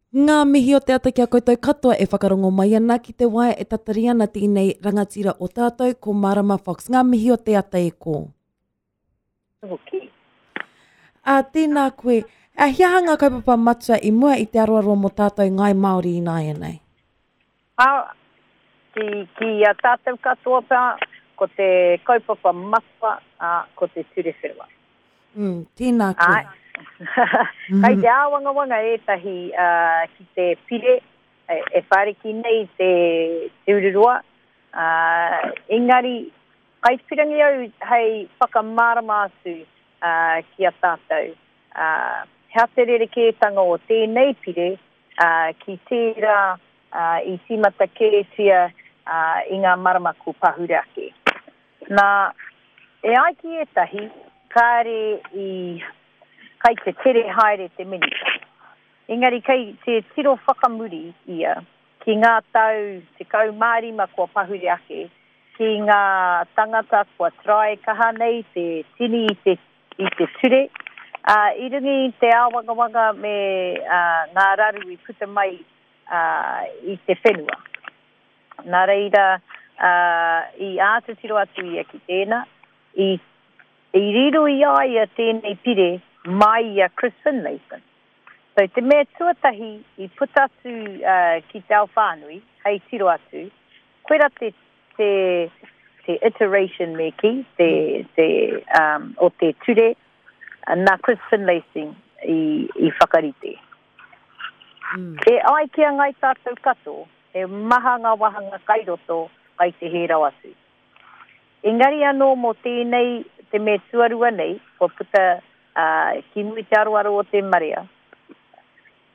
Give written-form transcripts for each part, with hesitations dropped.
Ngā mihi o te ata ki a koutou katoa e whakarongo mai ana ki te waea e tatari ana tēnei rangatira o tātou, ko Marama Fox. Ngā mihi o te ata e kō. Hoki. Ā, tēnā koe. A, he aha ngā kaupapa matua i mua i te aroaro mō tātou Ngāi Māori ināianei? Ā, ki, ki a tātou katoa pea, ko te kaupapa matua, ā, ko te ture whenua. Mm, tēnā koe. Āe. Kai te āwangawanga ētahi uh, ki te pire e, e whāriki nei te, te ururoa. Uh, engari, kai pirangi au hei whakamārama atu uh, ki a tātou. Uh, hea te rerekētanga o tēnei pire uh, ki tērā uh, i tīmata kētia uh, i ngā marama ko pahure ake. Nā, e ai ki ētahi, kāre i, kai te tere haere te Minita. Engari kei te tiro whakamuri ia ki ngā tau 15 kua pahure ake, ki ngā tangata kua try kaha nei te tini i te, i te ture, ā, i runga i te āwangawanga me ngā raru i puta mai i te whenua. Nā reira, i āta tiro atu ia ki tēnā, i, i riro i a ia tēnei pire mai i a Chris Finlayson. So, te mea tuatahi i puta atu ki te ao whānui, hei tiro atu, koira te, te, te iteration me kī, te, te, um, o te ture nā Chris Finlayson i, i whakarite. Mm. E ai ki a Ngai Tātou katoa, He maha ngā wāhanga kai roto, kai te hē rawa atu. Engari anō mō tēnei, te mea tuarua nei, kua puta ki muri te aroaro o te marea,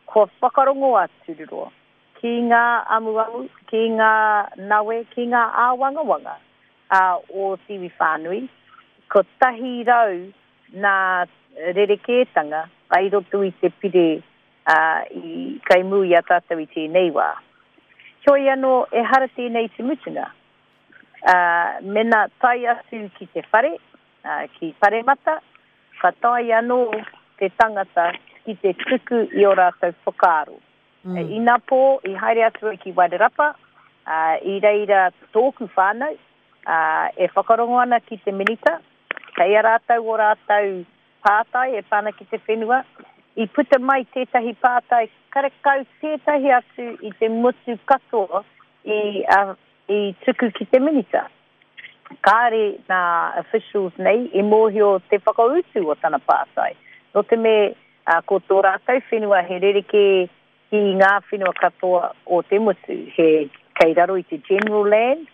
kua whakarongo a Tururoa ki ngā amuamu, ki ngā nawe, ki ngā āwangawanga o te iwi whānui, 100 nā rerekētanga kai roto i te pire ā, i kaimū i a tātou i tēnei wā. Heoi anō, ehara tēnei te mutunga. Ā, mena tae atu ki te whare, ā, ki Paremata, ka taea anō te tangata ki te tuku i ō rātou whakaaro. Mm. Inapō, i haere atu au ki Wairarapa, ā, i reira tōku whānau, ā, e whakarongo ana ki te Minita, kei a rātou ō rātou pātai e pā ana ki te whenua, i puta mai tētahi pātai karekau tētahi atu i te motu katoa i, uh, i tuku ki te minita. Kāre nā officials nei i mōhio te whakautu o tana pātai. Nō te me uh, ko tō rātou whenua he rerekē ki ngā whenua katoa o te motu, he kei raro i te general land,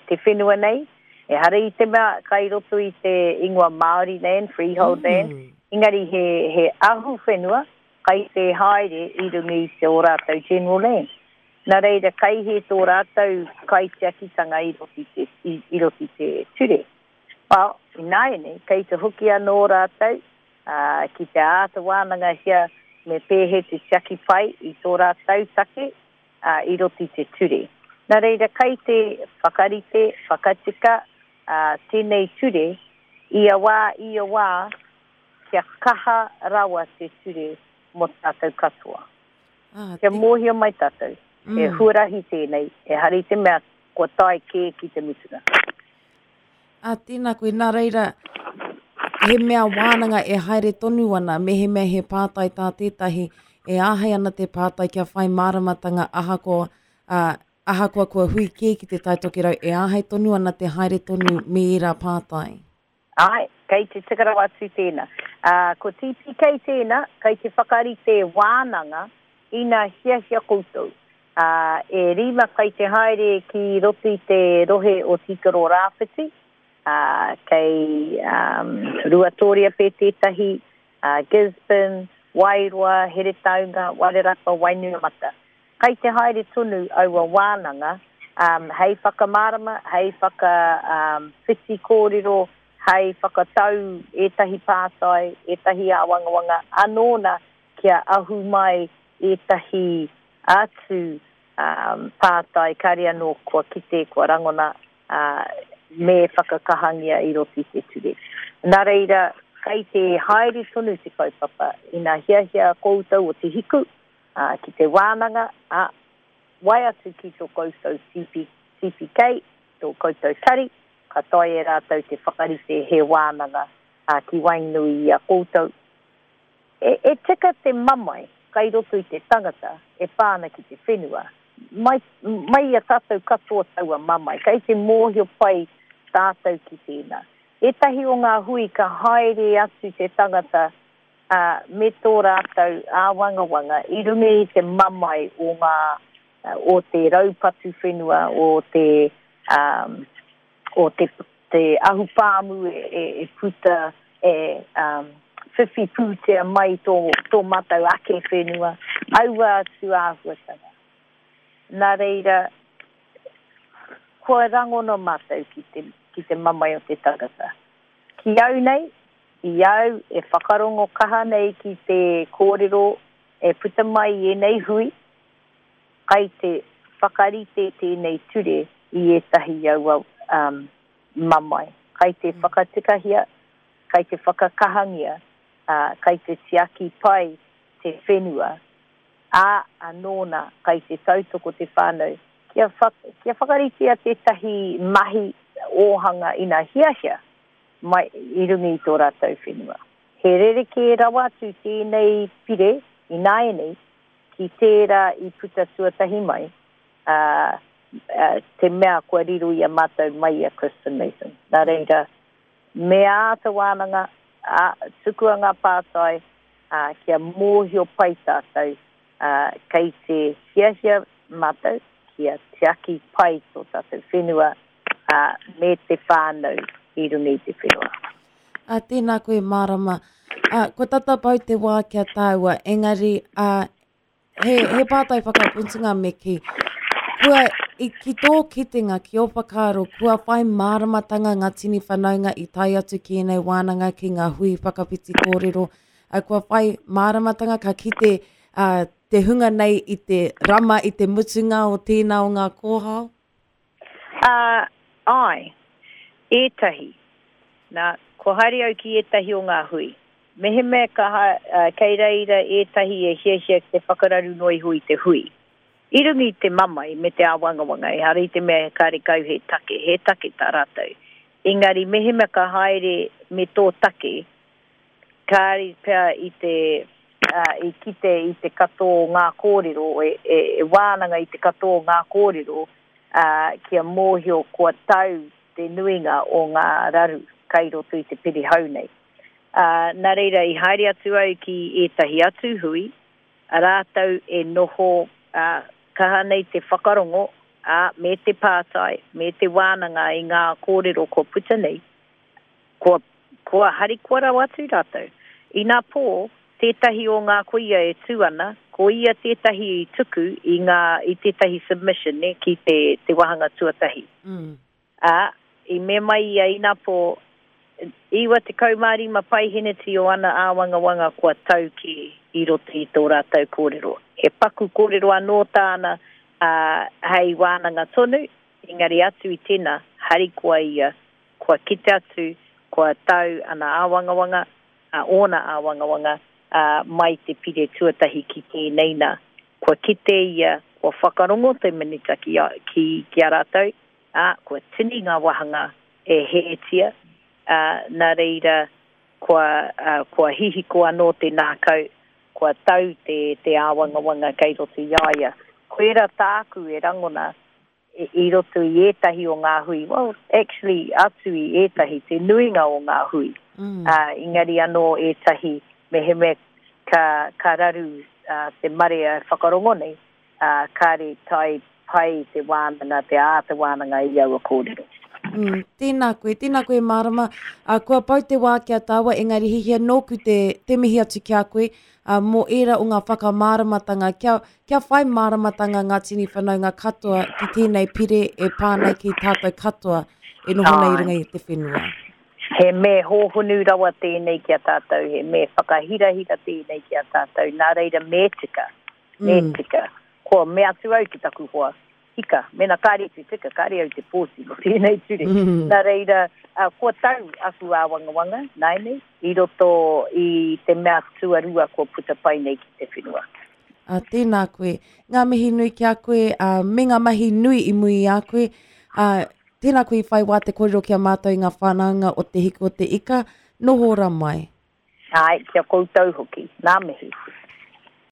te whenua nei, ehara i te mea kai roto i te ingoa Māori land, freehold land, mm. engari he, he ahu whenua kai te haere i runga i te o rātou general land. Nā reira, kai he tō rātou kaitiakitanga i roto i te, i, i roto i te ture. Well, ināianei, kei te hoki anō rātou uh, ki te āta wānangahia me pēhe te tiaki pai i tō rātou take, ā, i roto i te ture. Nā reira, kai te whakarite, whakatika, ā, tēnei ture, ia wā, ia wā, kia kaha rawa te ture mō tātou katoa. Ā, Kia mōhio mai tātou, he huarahi tēnei, ehara i te mea kua tae kē ki te mutunga. Ā, tēnā koe, nā reira, he mea wānanga e haere tonu ana, mehemea he pātai tā tētahi, e āhei ana te pātai kia whai māramatanga ahakoa, ā, ahakoa kua hui kē ki te Tai Tokerau, e āhei tonu ana te haere tonu me ērā pātai. Āe, kei te tika rawa atu tēnā. Ā, ko TPK tēnā, kei te whakarite wānanga ina hiahia koutou. Ā, e rima kai te haere ki roto i te rohe o Tīkaro Rāwhiti, ā, kei um, Ruatōria pē tētahi, ā, Gisborne, Wairoa, Heretaunga, Wairarapa, Wainuiomata. Kai te haere tonu aua wānanga, um, hei whakamārama, hei whaka, um, whiti kōrero, hei whakatau ētahi pātai, ētahi āwangawanga anō nā kia ahu mai ētahi atu pātai kāre anō kua kite, kua rangona, me whakakahangia i roto i te ture. Nā reira, kei te haere tonu te kaupapa, ina hiahia koutou o Te Hiku, Ā, ki te wānanga, ā, wae atu ki tō koutou TP, TPK, tō koutou tari, ka taea e rātou te whakarite he wānanga, ā, ki waenganui i a koutou. E, e tika te mamae kai roto i te tangata e pā ana ki te whenua, mai, mai i a tātou katoa taua mamae, kei te mōhio pai tātou ki tēnā. Ētahi o ngā hui ka haere atu te tangata, ā, me tō rātou āwangawanga i runga i te mamae o ngā, o te raupatu whenua, o te, ā, o te, te ahupāmu e, e, e puta, e, ā, whiwhi pūtea mai tō, tō mātou ake whenua, aua atu āhuatanga. Nā reira, kua rangona mātou ki te, ki te mamae o te tangata. Ki au nei, i au e whakarongo kaha nei ki te kōrero e puta mai i ēnei hui, kai te whakarite tēnei ture i ētahi aua mamae. Kai te whakatikahia, kai te whakakahangia, ā, kai te tiaki pai te whenua, ā, anō nā, kai te tautoko te whānau kia, kia whakaritea tētahi mahi ōhanga ina hiahia mai i runga i tō rātou whenua. He rerekē rawa atu tēnei pire ināianei ki tērā i puta tuatahi mai, ā, te mea kua riro i a mātou mai i a Kristen Mason. Nā reira, me āta wānanga, ā, tukua ngā pātai, ā, kia mōhio pai tātou, ā, kei te hiahia mātou kia tiaki pai tō tātou whenua, ā, me te whānau i runga i te whenua. Ā, tēnā koe Mārama. Ā, kua tata pau te wā ki a tāua, engari, ā, he, he pātai whakaputunga me kī. Kua, i, ki tō kitenga, ki ō whakaaro, kua whai māramatanga ngā tini whanaunga i tae atu ki ēnei wānanga, ki ngā hui whakawhiti kōrero, ā, kua whai māramatanga ka kite ā, te hunga nei i te rama i te mutunga o tēnā o ngā kōhao? Ā, āe, ētahi. Nā, kua haere au ki ētahi o ngā hui. Mehemea ka, kei reira ētahi e hiahia ki te whakararu noa iho i te hui. I runga i te mamae me te āwangawanga, ehara i te mea karekau he take, he take tā rātou. Engari mehemea ka haere me tō take, kāre pea i te, i kite i te katoa o ngā kōrero, e wānanga i te katoa o ngā kōrero, ā, kia mōhio kua tau te nuinga o ngā raru kai roto i te pere hou nei. Ā, nā reira i haere atu au ki ētahi atu hui, rātou e noho, ā, kaha nei te whakarongo, ā, me te pātai, me te wānanga i ngā kōrero kua puta nei, Kua, kua harikoa rawa atu rātou. Inapō, tētahi o ngā kuia e tū ana, ko ia tētahi i tuku i ngā, i tētahi submission, nē, ki te, te wāhanga tuatahi. Mm. Ā, i mea mai ia inapō, 95 paiheneti o ana āwangawanga kua tau kē i roto i tō rātou kōrero. He paku kōrero anō tāna, ā, hei wānanga tonu, engari atu i tēnā, harikoa ia Kua kite atu, kua tau ana āwangawanga, ā, ōna āwangawanga, ā, mai te pire tuatahi ki tēnei nā. Kua kite ia, kua whakarongo te Minita ki a, ki, ki a rātou, ā, kua tini ngā wāhanga e hētia, ā, nā reira, kua, ā, kua hihiko anō te nākau, kua tau te, te āwangawanga kei roto i a ia. Koirā tāku e rangona, i roto i ētahi o ngā hui, well, actually, atu i ētahi, te nuinga o ngā hui, mm. uh, engari anō ētahi, mehemea ka, ka raru uh, te marea whakarongo nei, uh, kāre tae pai te wānanga, te āta wānanga i aua kōrero. Mm, tēnā koe, tēnā koe Mārama. Uh, kua pau te wā ki a tāua, engari hihia nōku te, te mihi atu ki a koe uh, mō ērā o ngā whakamāramatanga, kia, kia whai māramatanga ngā tini whanaunga katoa ki tēnei pire e pā nei ki tātou katoa e noho nei i runga i te whenua. He me hōhonu rawa tēnei ki a tātou, he me whakahirahira tēnei ki a tātou, nā reira me tika, me mm. tika. Kua mea atu au ki taku hoa, Ika, mena kāre te tika, kāre au te pōti mō tēnei ture. Mm. Nā reira, uh, kua tau aku āwangawanga, nāianei, i roto i te mea tuarua kua puta pai nei ki te whenua. Ā, tēnā koe. Ngā mihi nui ki a koe, ā, me ngā mahi nui i muri i a koe. Ā, tēnā koe i whai wā te kōrero ki a mātou i ngā whanaunga o Te Hiku o te Ika. Noho ora mai. Āe, ki a koutou hoki. Ngā mihi.